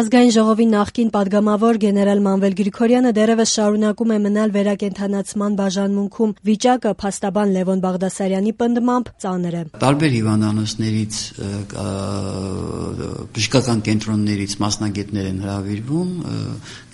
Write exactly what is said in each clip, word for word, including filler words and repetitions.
Ազգային ժողովի նախկին պատգամավոր գեներալ Մանվել Գրիգորյանը դեռևս շարունակում է մնալ վերակենդանացման բաժանմունքում։ Վիճակը փաստաբան Լևոն Բաղդասարյանի պնդմամբ ծանր է։ Տարբեր հիվանդանոցներից, բժշկական կենտրոններից մասնագետներ են հրավիրվում,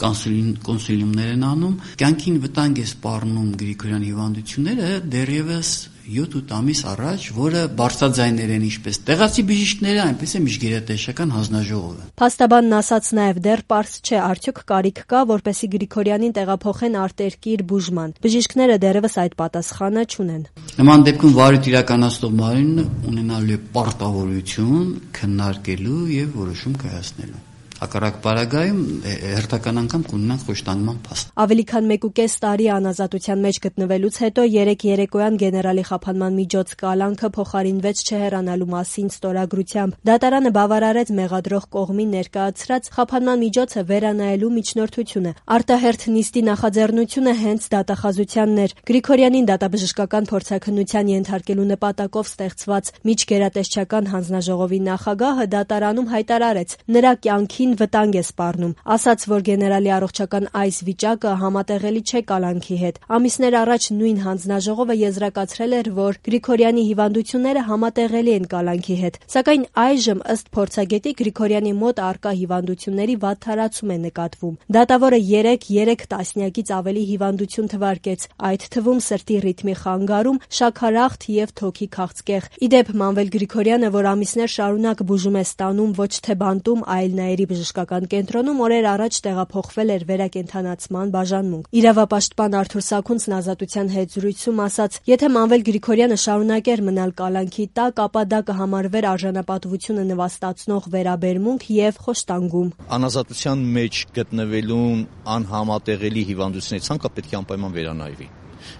կոնսուլյումներ են անում։ Կյանքին վտանգ է սպառնում Գրիգորյանի հիվանդությունները դեռևս յոթ-ութ ամիս առաջ, որը բարձրաձայներ են ինչպես տեղացի բժիշկները, այնպես է միջգերատեսչական հանձնաժողովը։ Փաստաբանն ասաց նաև դեռ պարզ չէ, արդյոք կարիք կա, որպեսզի Գրիգորյանին տեղափոխեն արտերկիր բուժման։ Բժիշկները դեռևս այդ պատասխանը չունեն։ Նման դեպքում վարույթ իրականացնող մարմինը ունենալու է պարտավորություն քննարկելու եւ որոշում կայացնելու։ Հակառակ պարագայում հերթական անգամ կունենանք խոշտանգման փաստ։ Ավելի քան մեկուկես տարի անազատության մեջ գտնվելուց հետո երեկ երեկոյան գեներալի խափանման միջոց կալանքը փոխարինվեց չհեռանալու մասին ստորագրությամբ։ Դատարանը բավարարեց մեղադրող կողմին ներկայացրած խափանման միջոցը վերանայելու միջնորդությունը։ Արտահերթ նիստի նախաձեռնությունը հենց դատախազությանն էր։ Գրիգորյանին դատաբժշկական փորձաքննության ենթարկելու նպատակով ստեղծված միջգերատեսչական հանձնաժողովի նախագահը դատարանում հայտարարեց. նրա կյանքի վտանգ է սպառնում, ասաց, որ գեներալի առողջական այս վիճակը համատեղելի չէ կալանքի հետ։ Ամիսներ առաջ նույն հանձնաժողովը եզրակացրել էր, որ Գրիգորյանի հիվանդությունները համատեղելի են կալանքի հետ, սակայն այժմ ըստ փորձագետի Գրիգորյանի մոտ առկա հիվանդությունների վատթարացում է նկատվում։ Դատավորը երեկ երեք տասնյակից ավելի հիվանդություն թվարկեց, այդ թվում սրտի ռիթմի խանգարում, շաքարախտ եւ թոքի քաղցկեղ։ Իդեպ Մանվել Գրիգորյանը, որ ամիսներ շարունակ բուժում է ստանում ոչ թե բանտում, այլ նաերի բժշկական կենտրոնում, օրեր առաջ տեղափոխվել էր վերակենդանացման բաժանմունք։ Իրավապաշտպան Արթուր Սաքունցն Ազատության հետ զրույցում ասաց. եթե Մանվել Գրիգորյանը շարունակեր մնալ կալանքի տակ, ապա դա կհամարվեր արժանապատվությունը նվաստացնող վերաբերմունք եւ խոշտանգում։ Անազատության մեջ գտնվելուն անհամատեղելի հիվանդությունների ցանկը պետք է անպայման վերանայվի։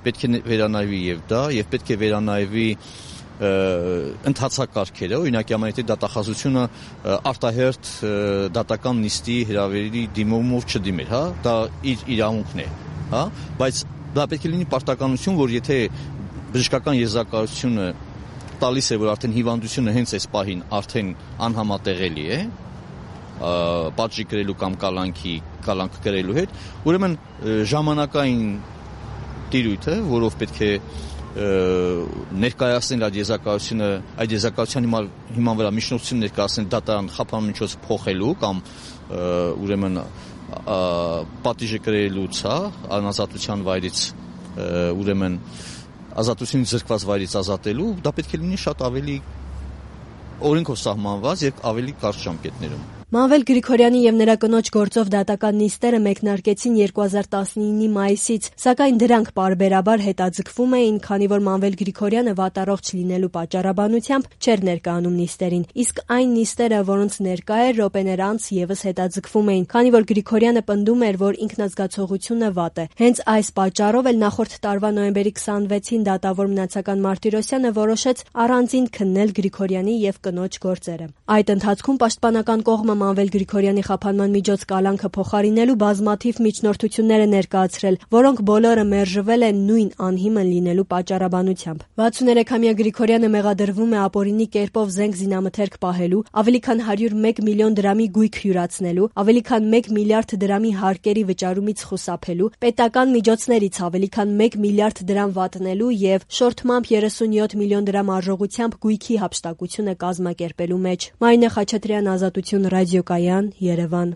Պետք է վերանայվի եւ դա, եւ պետք է վերանայվի ընթացակարգերը, օրինակ ամենից դատախազությունը արտահերթ դատական նիստի հրավերի դիմումով չդիմեր, հա, դա իր իրավունքն է, հա, բայց դա պետք է լինի պարտականություն, որ եթե բժշկական եզրակացությունը տալիս է, որ արդեն հիվանդությունը հենց այս պահին արդեն անհամատեղելի է, պատժի կրելու կամ կալանքի կալանք կրելու հետ, ուրեմն ժամանակային տիրույթ է, որով պետք է ներկայացնել այդ եզրակացությունը, այդ եզրակացության հիման վրա միջնորդություն ներկայացնել դատարան խափանման միջոց փոխելու կամ ուրեմն պատիժը կրելուց, հա, անազատության վայրից ուրեմն ազատությունից զրկված վայրից ազատելու, դա պետք է լինի շատ ավելի օրենքով սահմանված եւ ավելի կարճ ժամկետներում։ Մանվել Գրիգորյանի եւ նրա կնոջ գործով դատական նիստերը մեկնարկեցին երկու հազար տասնինի մայիսից, սակայն դրանք պարբերաբար հետաձգվում էին, քանի որ Մանվել Գրիգորյանը վատառողջ լինելու պատճառաբանությամբ չէր ներկայանում նիստերին, իսկ այն նիստերը, որոնց ներկա էր, րոպեներ անց եւս հետաձգվում էին, քանի որ Գրիգորյանը պնդում էր, որ ինքնազգացողությունը վատ է։ Հենց այս պատճառով էլ նախորդ տարվա նոյեմբերի քսանվեցին դատավոր Մնացական Մարտիրոսյանը որոշեց առանձին քննել Գրիգորյանի եւ կնոջ գործերը։ Այդ ընթացքում պաշտպանական կողմը Մանվել Գրիգորյանի խափանման միջոց կալանքը փոխարինելու բազմաթիվ միջնորդություններ է ներկայացրել, որոնք բոլորը մերժվել են նույն անհիմն լինելու պատճառաբանությամբ։ վաթսուներեքամյա Գրիգորյանը մեղադրվում է ապօրինի կերպով զենք զինամթերք պահելու, ավելի քան հարյուր մեկ միլիոն դրամի գույք հյուրացնելու, ավելի քան մեկ միլիարդ դրամի հարկերի վճարումից խուսափելու, պետական միջոցներից ավելի քան մեկ միլիարդ դրամ վատնելու եւ շորթմամբ երեսունյոթ միլիոն դրամ արժողությամբ գույքի հափշտակությունը կազմակերպելու մեջ։ Մարինե Խաչատրյան, Ազատություն, ռադիոկայան, Երևան։